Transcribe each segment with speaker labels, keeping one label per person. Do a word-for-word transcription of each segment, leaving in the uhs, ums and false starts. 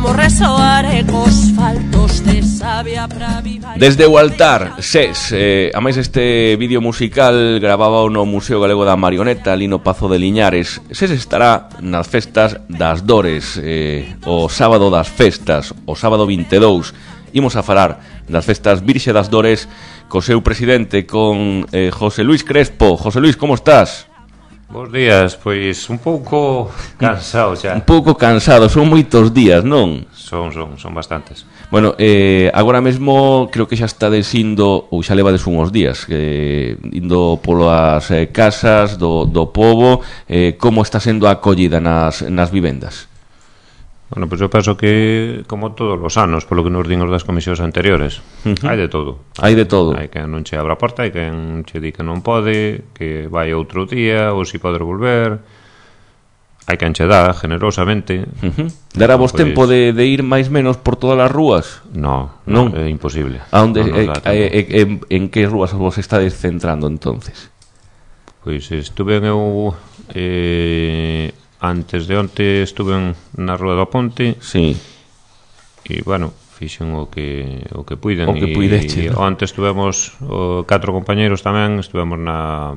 Speaker 1: como resoar ecos faltos de sabia pra viva.
Speaker 2: Desde o altar, SES, eh, a máis este vídeo musical gravaba no Museo Galego da Marioneta, ali no Pazo de Liñares. SES estará nas festas das Dores, eh, o sábado das festas, o sábado vinte e dous. Imos a falar das festas Virxe das Dores co seu presidente, con eh, José Luis Crespo. José Luis, como estás?
Speaker 3: Bos días, pois un pouco cansado xa.
Speaker 2: Un pouco cansado, son moitos días, non?
Speaker 3: Son, son, son bastantes.
Speaker 2: Bueno, eh, agora mesmo creo que xa estades indo, ou xa levades unhos días, eh, indo polas eh, casas do, do pobo. eh, Como está sendo a acollida nas, nas vivendas?
Speaker 3: Bueno, pois eu penso que, como todos os anos, polo que nos din os das comisións anteriores, uh-huh. hai de todo.
Speaker 2: Hai de todo.
Speaker 3: Hai que non che abra a porta, hai que che di que non pode, que vai outro día, ou si pode volver. Hai que enche dá, generosamente.
Speaker 2: Uh-huh. Dará vos pues... tempo de, de ir máis menos por todas as rúas?
Speaker 3: No, non, no é imposible.
Speaker 2: A onde,
Speaker 3: non
Speaker 2: eh, eh, en, en que rúas vos estades centrando, entonces?
Speaker 3: Pois estuve eu... Eh, antes de onte estuve na Rúa do Ponte.
Speaker 2: Sí.
Speaker 3: E, bueno, fixen o que o que puiden.
Speaker 2: O que puideche,
Speaker 3: e, ¿no? Onte estuvemos o, catro compañeros tamén, estuvemos na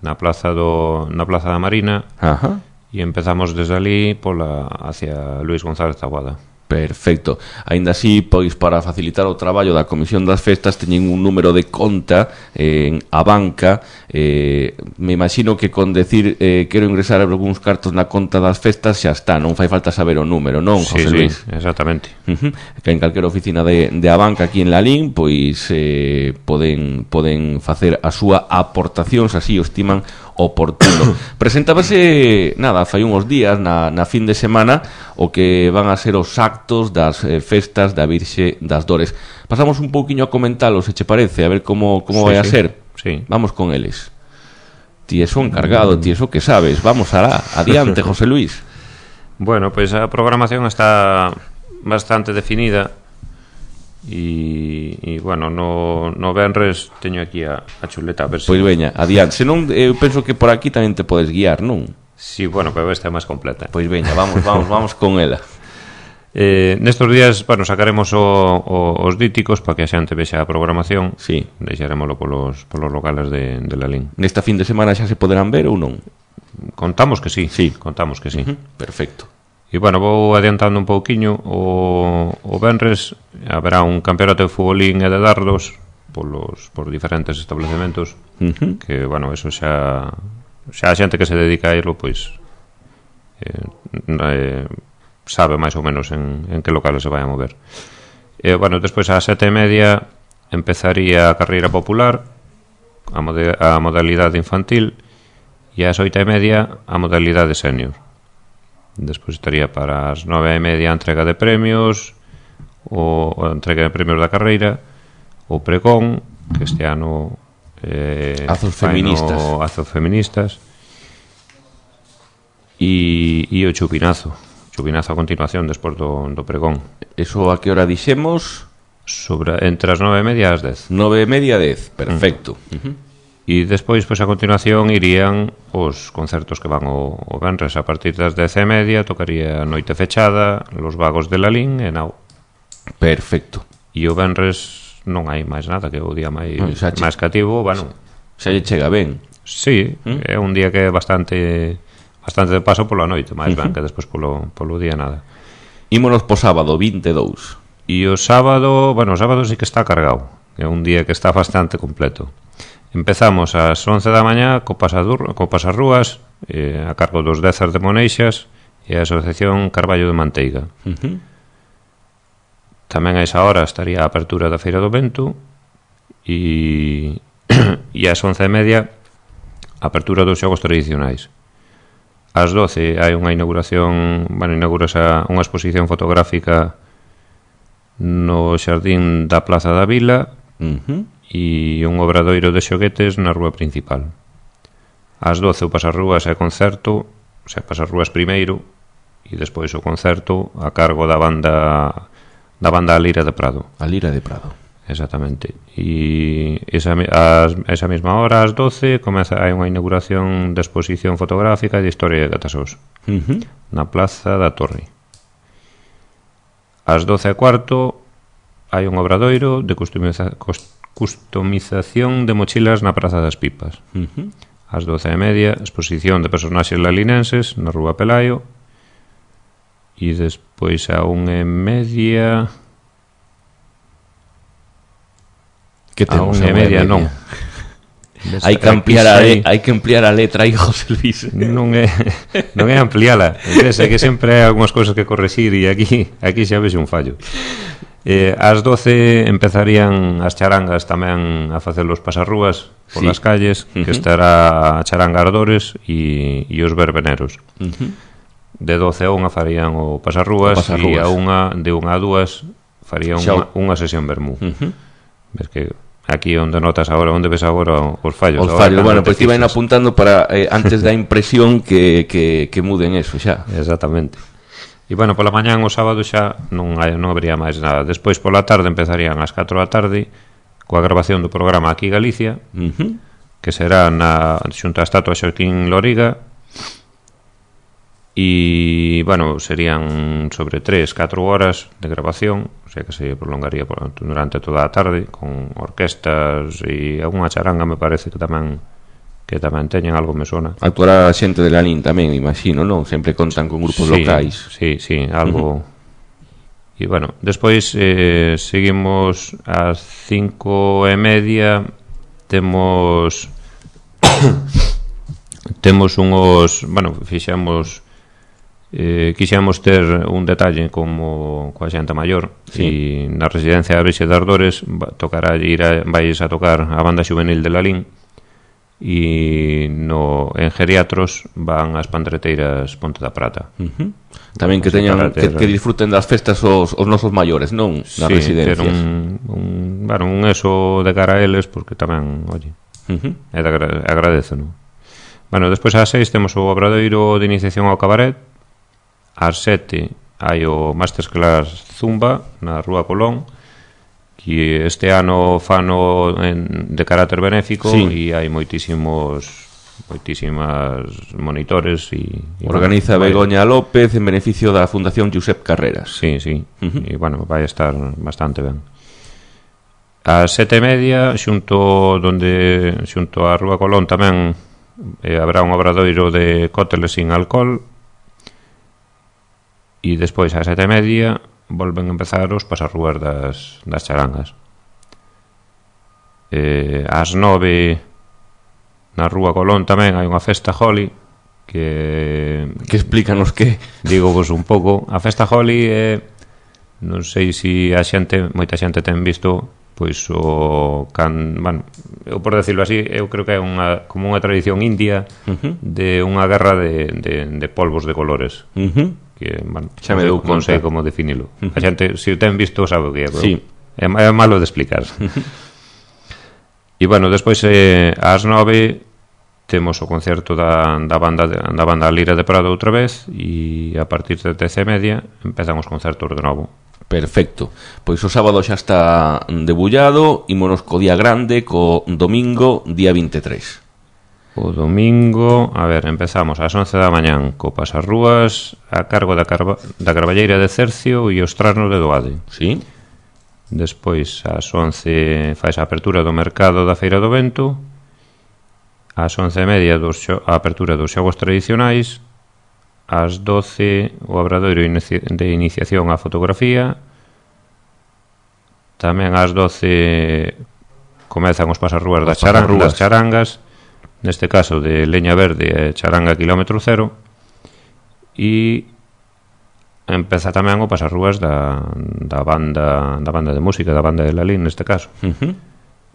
Speaker 3: na plaza do na plaza da Marina.
Speaker 2: Ajá.
Speaker 3: E empezamos desde ali pola hacia Luis González Taboada.
Speaker 2: Perfecto. Aínda así, pois para facilitar o traballo da Comisión das Festas teñen un número de conta eh, en a banca. eh, Me imagino que con decir eh, quero ingresar algúns cartos na conta das festas xa está, non fai falta saber o número, non, José
Speaker 3: sí,
Speaker 2: Luis?
Speaker 3: Sí, exactamente.
Speaker 2: Uh-huh. Que en calquera oficina de, de a banca aquí en Lalín pois eh, poden, poden facer a súa aportación se así o estiman oportuno. Presentábase, nada, fai uns días na, na fin de semana o que van a ser os actos das eh, festas da Virxe das Dores. Pasamos un pouquiño a comentalos, se che parece, a ver como, como
Speaker 3: sí,
Speaker 2: vai a
Speaker 3: sí.
Speaker 2: ser.
Speaker 3: Sí.
Speaker 2: Vamos con eles. Ti eso encargado, ti eso que sabes. Vamos alá, adiante, José Luis.
Speaker 3: Bueno, pois pues a programación está bastante definida. E, e bueno, no, no venres teño aquí a, a chuleta a ver se...
Speaker 2: Pois veña, adiante. Se non, eu penso que por aquí tamén te podes guiar, non?
Speaker 3: Sí, bueno, pero esta é máis completa.
Speaker 2: Pois veña, vamos, vamos, vamos con ela.
Speaker 3: Eh, nestos días, bueno, sacaremos o, o, os díticos para que a xente vexa a programación.
Speaker 2: Sí.
Speaker 3: Deixaremoslo polos, polos locales de, de Lalín.
Speaker 2: Nesta fin de semana xa se poderán ver ou non?
Speaker 3: Contamos que sí,
Speaker 2: sí.
Speaker 3: Contamos que sí.
Speaker 2: Uh-huh. Perfecto.
Speaker 3: E, bueno, vou adiantando un pouquiño. O, o venres haberá un campeonato de futbolín e de dardos polos, por diferentes establecementos.
Speaker 2: Uh-huh.
Speaker 3: Que, bueno, eso xa xa a xente que se dedica a irlo, pois eh, eh, sabe máis ou menos en, en que locales se vai a mover. E, bueno, despois a sete e media empezaría a carreira popular, a, mode, a modalidade infantil, e ás oito e media a modalidade senior. Despois estaría para as nove e media a entrega de premios, o a entrega de premios da carreira, o pregón, que este ano eh,
Speaker 2: Azos feministas
Speaker 3: no, Azos feministas e, e o chupinazo chupinazo a continuación despois do, do pregón.
Speaker 2: Eso a que hora dixemos?
Speaker 3: Sobre, entre as nove e media e as dez.
Speaker 2: Nove e media a dez, perfecto. Mm. Uh-huh.
Speaker 3: E despois, pois, a continuación irían os concertos que van o, o venres. A partir das dez e media tocaría Noite Fechada, Los Vagos de Lalín e Nao.
Speaker 2: Perfecto.
Speaker 3: E o venres non hai máis nada, que é o día máis,
Speaker 2: no,
Speaker 3: máis cativo. Bueno,
Speaker 2: xa lle chega ben.
Speaker 3: Sí, ¿Mm? É un día que é bastante bastante de paso pola noite, máis
Speaker 2: uh-huh.
Speaker 3: ben que despois polo, polo día nada.
Speaker 2: Ímonos po sábado, vinte e dous.
Speaker 3: E o sábado, bueno, o sábado sí que está cargado. É un día que está bastante completo. Empezamos ás once da mañá co pasadur, co pasarrúas eh, a cargo dos Dezas de Moneixas e a Asociación Carballo de Manteiga.
Speaker 2: Uh-huh.
Speaker 3: Tamén a esa hora estaría a apertura da Feira do Vento e, e ás once e media a apertura dos xogos tradicionais. Ás doce hai unha inauguración, bueno, inaugurase unha exposición fotográfica no xardín da Plaza da Vila.
Speaker 2: Uh-huh.
Speaker 3: E un obradoiro de xoguetes na rúa principal. Ás doce o pasarrúas e concerto, o sea, pasarrúas primeiro e despois o concerto a cargo da banda da banda A Lira de Prado.
Speaker 2: A Lira de Prado.
Speaker 3: Exactamente. E esa, a esa mesma hora, ás doce, comeza, hai unha inauguración de exposición fotográfica e de historia de Catasós.
Speaker 2: Uh-huh.
Speaker 3: Na Plaza da Torre. ás doce e cuarto hai un obradoiro de customiza, customización de mochilas na Praza das Pipas.
Speaker 2: Uh-huh.
Speaker 3: Ás doce e media, exposición de personaxes lalinenses na Rúa Pelayo. E despois a unha e media...
Speaker 2: Que temos
Speaker 3: a unha e media, non.
Speaker 2: Hai que ampliar a le, hai que ampliar a letra aí, José Luis.
Speaker 3: Non é non é ampliala. É que sempre hai algunhas cousas que correxir e aquí aquí xa vexe un fallo. Eh, ás doce empezarían as charangas tamén a facer os pasarrúas por sí. Las calles, uh-huh. Que estará a charanga Ardores e, e os verbeneros. Uh-huh. De doce a unha farían o pasarrúas, o pasarrúas. E a unha, de unha a dúas farían unha, unha sesión vermú. Uh-huh. Ves que aquí onde notas agora, onde ves agora os fallos.
Speaker 2: Os fallos, bueno, pois pues iban apuntando para eh, antes da impresión que, que, que muden eso xa.
Speaker 3: Exactamente. E bueno, pola mañán o sábado xa non hai, non habería máis nada. Despois pola tarde empezarían ás catro da tarde coa grabación do programa Aquí Galicia, uh-huh. Que será na xunta a estatua Xoaquín Loriga. E, bueno, serían sobre tres, catro horas de grabación, o sea que se prolongaría por, durante toda a tarde, con orquestas e algunha charanga, me parece que tamén que tamén teñen algo, me sona.
Speaker 2: Actuará a xente de Lalín tamén, imagino, non? Sempre contan con grupos
Speaker 3: sí,
Speaker 2: locais.
Speaker 3: Sí, sí, algo... Uh-huh. E, bueno, despois eh, seguimos ás cinco e media, temos... temos unhos... Bueno, fixemos... Eh, quixemos ter un detalle como coa xente maior sí. E na residencia de Brixe de Ardores tocará ir a, vais a tocar a banda juvenil de Lalín e no, en geriatros van as pandreteiras Ponte da Prata.
Speaker 2: Uh-huh. Tamén que teñan ter... que, que disfruten das festas os, os nosos maiores, non? Nas sí, residencias.
Speaker 3: Un, un, bueno, un eso de cara a eles porque tamén, oye, uh-huh. É de agra- agradece, non? Bueno, despois ás seis temos o obradoiro de iniciación ao cabaret. Ás sete hai o Masterclass Zumba na Rúa Colón, que este ano fano en, de carácter benéfico sí. E hai moitísimos moitísimas monitores e, e
Speaker 2: organiza bueno, Begoña vai... López en beneficio da Fundación Josep Carreras.
Speaker 3: Sí, sí, uh-huh. E bueno, vai estar bastante ben. Ás sete e media xunto donde xunto a Rúa Colón tamén eh, habrá un obradoiro de cócteles sin alcohol. E despois ás sete e media volven a empezar os pasarrúas das, das charangas. Eh, ás nove na Rúa Colón tamén hai unha festa Holly que...
Speaker 2: Que explícanos que?
Speaker 3: Digo vos un pouco. A festa Holly é... Non sei se a xente, moita xente ten visto pois o can, bueno, eu por decirlo así, eu creo que é unha como unha tradición india uh-huh. De unha guerra de, de, de polvos de colores. Uh-huh. Que, bueno, xa me deu conta. Non sei como definilo. Uh-huh. A xente, se o ten visto, sabe o que é. Sí. É, é malo de explicar. Uh-huh. E, bueno, despois eh, ás nove temos o concerto da, da banda de, da banda Lira de Prado outra vez e a partir de dez e media empezan os concertos de novo.
Speaker 2: Perfecto. Pois o sábado xa está debullado, ímonos co día grande, co domingo, día vinte e tres.
Speaker 3: O domingo, a ver, empezamos ás once da mañán co pasarrúas a cargo da, carva, da Carballeira de Cercio e os trasnos de Doade.
Speaker 2: Sí.
Speaker 3: Despois, ás once faz a apertura do mercado da Feira do Vento. Ás once e media dos xo, a apertura dos xogos tradicionais. Ás doce o obradoiro de iniciación á fotografía. Tamén ás doce comezan os pasarrúas das, charan, das charangas, neste caso de Leña Verde e Charanga Kilómetro Cero, e empeza tamén o pasarrúas da, da banda da banda de música, da banda de Lalín neste caso. Uh-huh.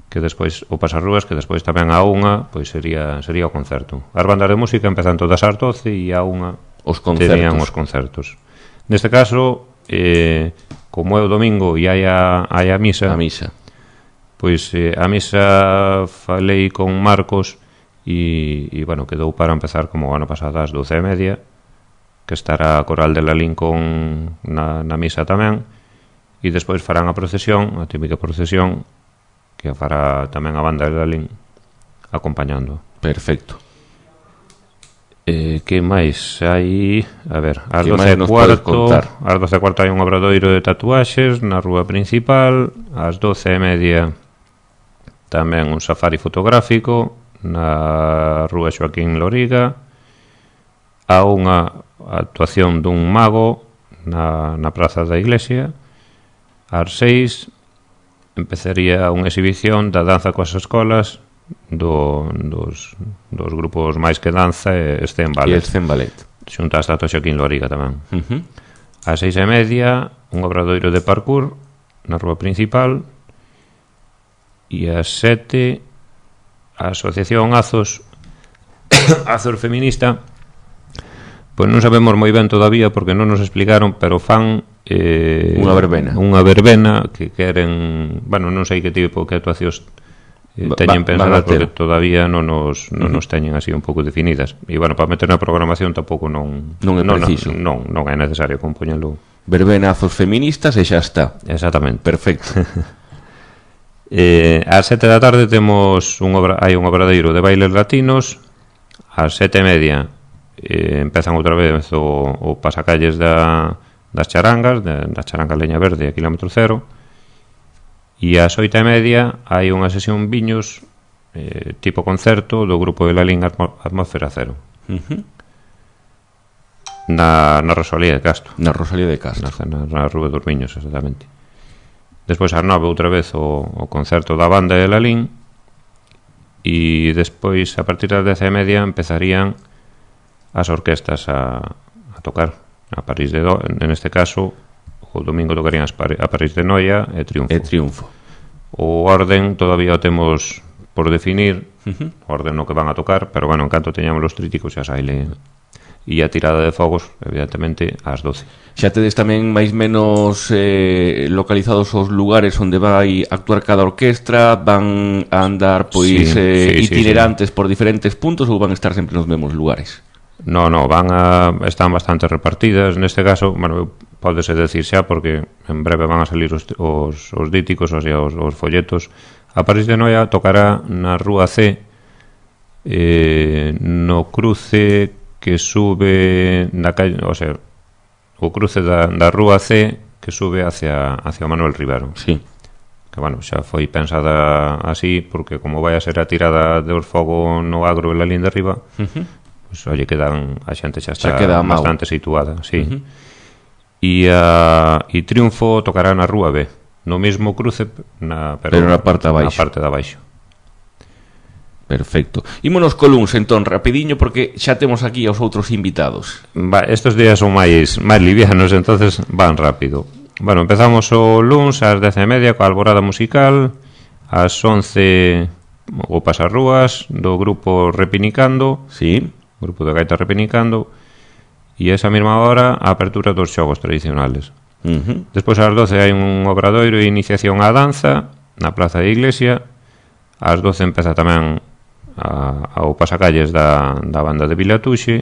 Speaker 3: Que despois o pasarrúas, que despois tamén a unha pois sería sería o concerto. As bandas de música empezan todas ás doce e a unha
Speaker 2: os concertos.
Speaker 3: Terían os concertos. Neste caso, eh, como é o domingo e hai a, hai a misa,
Speaker 2: a misa.
Speaker 3: Pois eh, a misa falei con Marcos e, e bueno, quedou para empezar como o ano pasado ás doce e media, que estará a Coral de Lalín con na, na misa tamén, e despois farán a procesión, a típica procesión que fará tamén a banda de Lalín acompañando.
Speaker 2: Perfecto.
Speaker 3: Eh, que máis hai? A ver, ás
Speaker 2: Que
Speaker 3: doce
Speaker 2: máis
Speaker 3: e
Speaker 2: nos podes
Speaker 3: cuarto
Speaker 2: contar?
Speaker 3: ás doce e cuarto hai un obradoiro de tatuaxes na rúa principal. Ás doce e media tamén un safari fotográfico na rúa Xoaquín Loriga. A unha actuación dun mago na, na praza da iglesia. Ás seis empezaría unha exhibición da danza coas escolas do, dos, dos grupos máis que danza e Scen
Speaker 2: E
Speaker 3: Ballet,
Speaker 2: el Scen Ballet.
Speaker 3: xunto a estatua Xoaquín Loriga tamén.
Speaker 2: Uh-huh.
Speaker 3: Ás seis e media un obradoiro de parkour na rúa principal. E ás sete a asociación Azos Azos Feminista, pois non sabemos moi ben todavía porque non nos explicaron, pero fan eh,
Speaker 2: unha verbena
Speaker 3: unha verbena que queren, bueno, non sei que tipo que actuacións eh, teñen
Speaker 2: Va-
Speaker 3: pensadas
Speaker 2: van a ter.
Speaker 3: porque todavía non nos, non nos teñen así un pouco definidas. E bueno, para meter na programación tampouco non
Speaker 2: Non é preciso.
Speaker 3: non, non, non é necesario compoñelo.
Speaker 2: Verbenazos feministas e xa está.
Speaker 3: Exactamente.
Speaker 2: Perfecto.
Speaker 3: Eh, ás sete da tarde temos un obra, hai un obradeiro de bailes latinos. Ás sete e media eh, empezan outra vez o, o pasacalles da, das charangas, de, da charanga Leña Verde a kilómetro cero. E ás oito e media hai unha sesión viños eh, tipo concerto do grupo de Lalín Atmo, Atmósfera Cero,
Speaker 2: Uh-huh.
Speaker 3: na, na Rosalía de Castro,
Speaker 2: Na Rosalía de Castro.
Speaker 3: na, na, na Rúa dos Viños, exactamente. Despois ás nove outra vez o, o concerto da banda de Lalín. E despois a partir das dez e media empezarían as orquestas a, a tocar a París de Do, en este caso o domingo tocarían as Pari, a París de Noia e Triunfo.
Speaker 2: E Triunfo.
Speaker 3: O orden todavía o temos por definir,
Speaker 2: Uh-huh.
Speaker 3: o orden no que van a tocar, pero bueno, en canto teñamos os tríticos xa saile. E a tirada de fogos, evidentemente, ás doce.
Speaker 2: Xa tedes tamén máis menos eh, localizados os lugares onde vai actuar cada orquestra, van a andar pois
Speaker 3: Sí,
Speaker 2: eh,
Speaker 3: sí, sí,
Speaker 2: itinerantes por diferentes puntos ou van a estar sempre nos mesmos lugares?
Speaker 3: No, no, van a están bastante repartidas. Neste caso, bueno, pódese decir xa porque en breve van a salir os, os, os díticos, o sea, os, os folletos. A París de Noia tocará na Rúa C, eh, no cruce que sube na calle, o sea, o cruce da, da Rúa C que sube hacia, hacia Manuel Rivero.
Speaker 2: Sí.
Speaker 3: Que, bueno, xa foi pensada así porque como vai a ser a tirada de os fogo no agro e la linda arriba,
Speaker 2: Uh-huh.
Speaker 3: pois, oye, quedan, a xente xa está
Speaker 2: Xa queda amago.
Speaker 3: bastante situada, sí.
Speaker 2: Uh-huh.
Speaker 3: E a e Triunfo tocará na Rúa B, no mesmo cruce, na, pero,
Speaker 2: Pero na parte de abaixo.
Speaker 3: Na parte de abaixo.
Speaker 2: Perfecto. Ímonos coluns, entón, rapidiño, porque xa temos aquí aos outros invitados.
Speaker 3: Va, estos días son máis máis livianos, entonces van rápido. Bueno, empezamos o luns ás dez e media coa alborada musical. Ás once o pasarrúas do grupo Repinicando,
Speaker 2: Sí.
Speaker 3: grupo de gaita Repinicando. E esa mesma hora a apertura dos xogos tradicionales.
Speaker 2: Uh-huh.
Speaker 3: Despois ás doce hai un obradoiro de iniciación á danza na Plaza da Iglesia. Ás doce empeza tamén a, ao pasacalles da, da banda de Vilatuxe.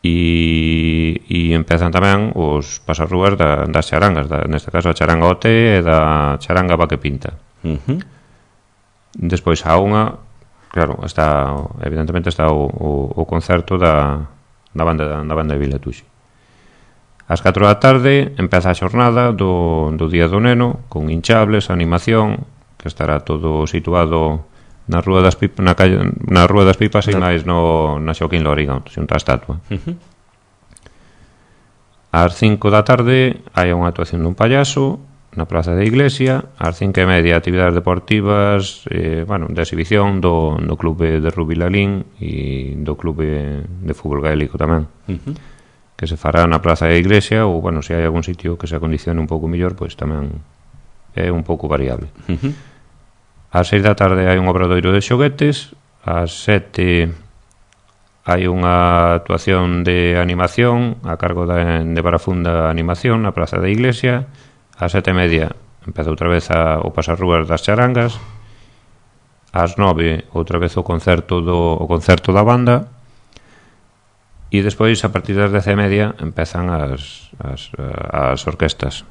Speaker 3: E, e empezan tamén os pasarrúas da, das charangas, da, neste caso a charanga O T e da charanga Vaque Pinta.
Speaker 2: Uh-huh.
Speaker 3: Despois a unha, claro, está evidentemente está o, o, o concerto da, da banda da banda de Vilatuxe. Ás catro da tarde empeza a xornada do, do Día do Neno con hinchables, animación, que estará todo situado na Rúa das Pipas, na calle, na Rúa das Pipas e máis no na Xoaquín Loriga, xunto á estatua.
Speaker 2: Uh-huh.
Speaker 3: Ás cinco da tarde hai unha actuación dun payaso na Praza da Iglesia. Ás cinco e media actividades deportivas, eh, bueno, de exhibición do, do clube de rugby Lalín e do clube de fútbol gaélico tamén.
Speaker 2: Uh-huh.
Speaker 3: Que se fará na Praza da Iglesia ou, bueno, se hai algún sitio que se acondicione un pouco mellor, pois tamén é un pouco variable.
Speaker 2: Uh-huh.
Speaker 3: Ás seis da tarde hai un obradoiro de xoguetes. Ás sete hai unha actuación de animación a cargo de, de Barafunda Animación na Praza da Iglesia. Ás sete e media empeza outra vez a, o pasarrúas das charangas. Ás nove outra vez o concerto do, o concerto da banda. E despois, a partir das dez e media, empezan as, as, as orquestas.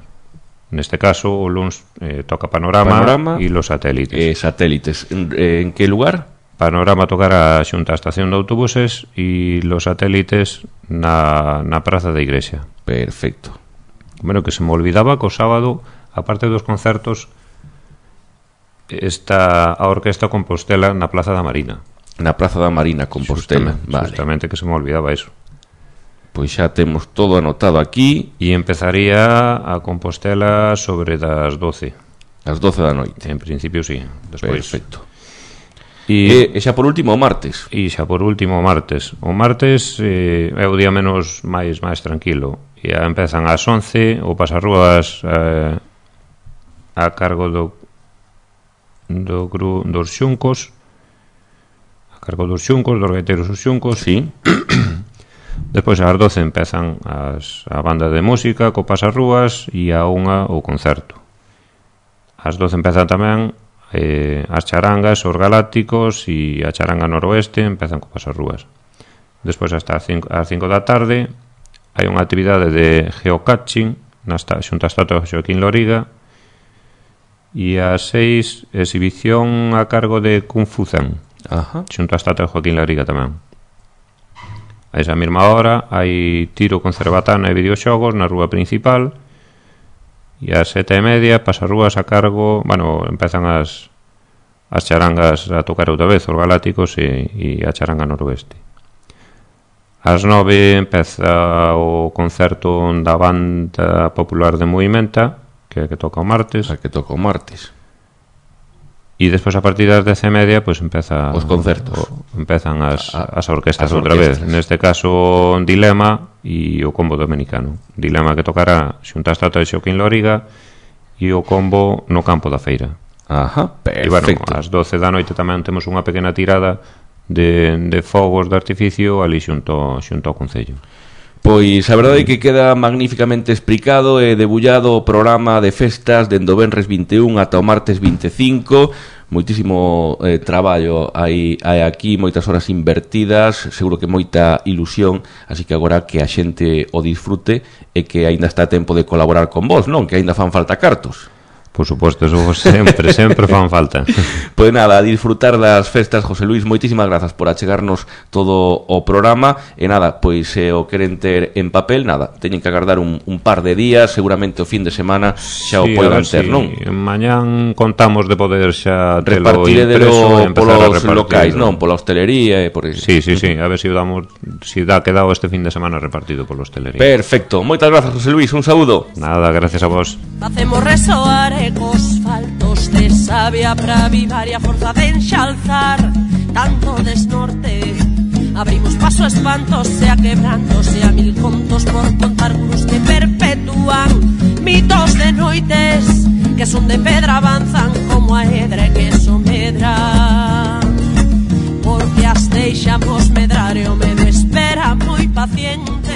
Speaker 3: Neste caso, o luns eh, toca Panorama,
Speaker 2: Panorama
Speaker 3: e los satélites.
Speaker 2: Eh, satélites. En, en que lugar?
Speaker 3: Panorama tocará xunta a estación de autobuses e los satélites na, na praza da igrexa.
Speaker 2: Perfecto.
Speaker 3: Bueno, que se me olvidaba que o sábado, aparte dos concertos, está a Orquesta Compostela na Plaza da Marina.
Speaker 2: Na Praza da Marina, Compostela.
Speaker 3: Justamente,
Speaker 2: vale.
Speaker 3: justamente que se me olvidaba eso.
Speaker 2: Pois xa temos todo anotado aquí.
Speaker 3: E empezaría a Compostela sobre das doce.
Speaker 2: As doce da noite.
Speaker 3: En principio, sí. Despois.
Speaker 2: Perfecto.
Speaker 3: E,
Speaker 2: e, e xa por último o martes.
Speaker 3: E xa por último o martes. O martes eh, é o día menos máis máis tranquilo. E empezan ás once o pasarrúas eh, a cargo do do gru, dos xuncos, a cargo dos xuncos, dos gaiteiros dos xuncos.
Speaker 2: Sí.
Speaker 3: Despois ás doce empezan as, a banda de música co pasarrúas e a unha o concerto. Ás doce empezan tamén eh, as charangas, os galácticos e a charanga noroeste empezan co pasarrúas. Despois hasta as cinco da tarde hai unha actividade de geocaching na xunta estatua de Joaquín Loriga e ás seis exhibición a cargo de Kung Fu Zen.
Speaker 2: Ajá.
Speaker 3: Xunta estatua de Joaquín Loriga tamén. A esa mesma hora hai tiro con cerbatana e videoxogos na rúa principal. E ás sete e media pasarrúas a cargo, bueno, empezan as as charangas a tocar outra vez, os galácticos e, e a charanga noroeste. Ás nove empeza o concerto da banda popular de Movimenta, que é que toca o martes.
Speaker 2: A que toca o martes.
Speaker 3: E despois a partir das dez e media pois empeza
Speaker 2: os concertos.
Speaker 3: O, empezan as,
Speaker 2: a,
Speaker 3: as orquestas
Speaker 2: as
Speaker 3: outra
Speaker 2: orquestas.
Speaker 3: vez. Neste caso Dilema e o combo dominicano. Dilema que tocará xunta a estatua de Joaquín Loriga e o combo no campo da feira.
Speaker 2: Ajá, perfecto.
Speaker 3: E bueno, ás doce da noite tamén temos unha pequena tirada de, de fogos de artificio ali xunto, xunto ao Concello.
Speaker 2: Pois a verdade é que queda magníficamente explicado e debullado o programa de festas dende o venres vinte e un ata o martes vinte e cinco. Moitísimo eh, traballo hai, hai aquí, moitas horas invertidas, seguro que moita ilusión, así que agora que a xente o disfrute e que aínda está a tempo de colaborar con vos, non? Que aínda fan falta cartos.
Speaker 3: Por suposto, eso sempre, sempre fan falta.
Speaker 2: Pois nada, a disfrutar das festas, José Luis, moitísimas grazas por achegarnos todo o programa. E nada, pois se o queren ter en papel, nada, teñen que agardar un, un par de días, seguramente o fin de semana xa
Speaker 3: sí,
Speaker 2: o poden ter, si non?
Speaker 3: Mañán contamos de poder xa telo
Speaker 2: repartirlo polos locais, non? Pola hostelería e por eso.
Speaker 3: Sí, sí, sí, a ver se si damos, si dá quedado este fin de semana repartido pola hostelería.
Speaker 2: Perfecto, moitas grazas, José Luis, un saúdo.
Speaker 3: Nada, gracias a vos.
Speaker 1: Facemos resoar ecos faltos de sabia para avivar e a forza de enxalzar tanto desnorte. Abrimos paso a espantos e a quebrantos e a mil contos por contar cruz que perpetúan mitos de noites que son de pedra, avanzan como a hedra que so medra, porque as deixamos medrar e o medo espera moi paciente.